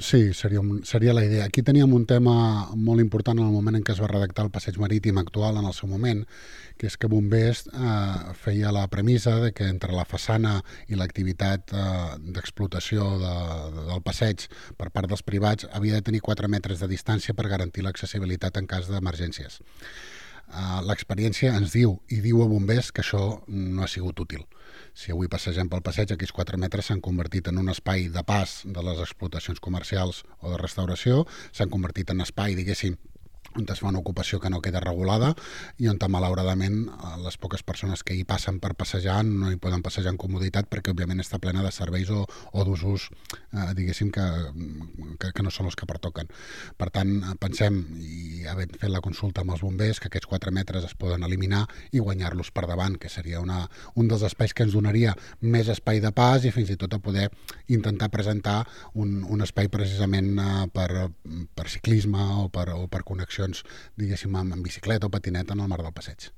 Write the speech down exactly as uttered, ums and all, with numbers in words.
Sí, seria, un, seria la idea. Aquí teníem un tema molt important en el moment en què es va redactar el passeig marítim actual en el seu moment, que és que Bombers eh, feia la premissa de que entre la façana i l'activitat eh, d'explotació de, de, del passeig per part dels privats havia de tenir quatre metres de distància per garantir l'accessibilitat en cas d'emergències. Uh, l'experiència ens diu i diu a bombers que això no ha sigut útil. Si avui passegem pel passeig, aquells quatre metres s'han convertit en un espai de pas de les explotacions comercials o de restauració, s'han convertit en espai, diguéssim, on es fa una ocupació que no queda regulada i on, malauradament, les poques persones que hi passen per passejar no hi poden passejar en comoditat perquè, òbviament, està plena de serveis o, o d'usos, eh, diguéssim, que, que, que no són els que pertoquen. Per tant, pensem, i havent fet la consulta amb els bombers, que aquests quatre metres es poden eliminar i guanyar-los per davant, que seria una, un dels espais que ens donaria més espai de pas i fins i tot a poder intentar presentar un, un espai precisament eh, per, per ciclisme o per, o per connexió, diguéssim, amb bicicleta o patineta en el mar del passeig.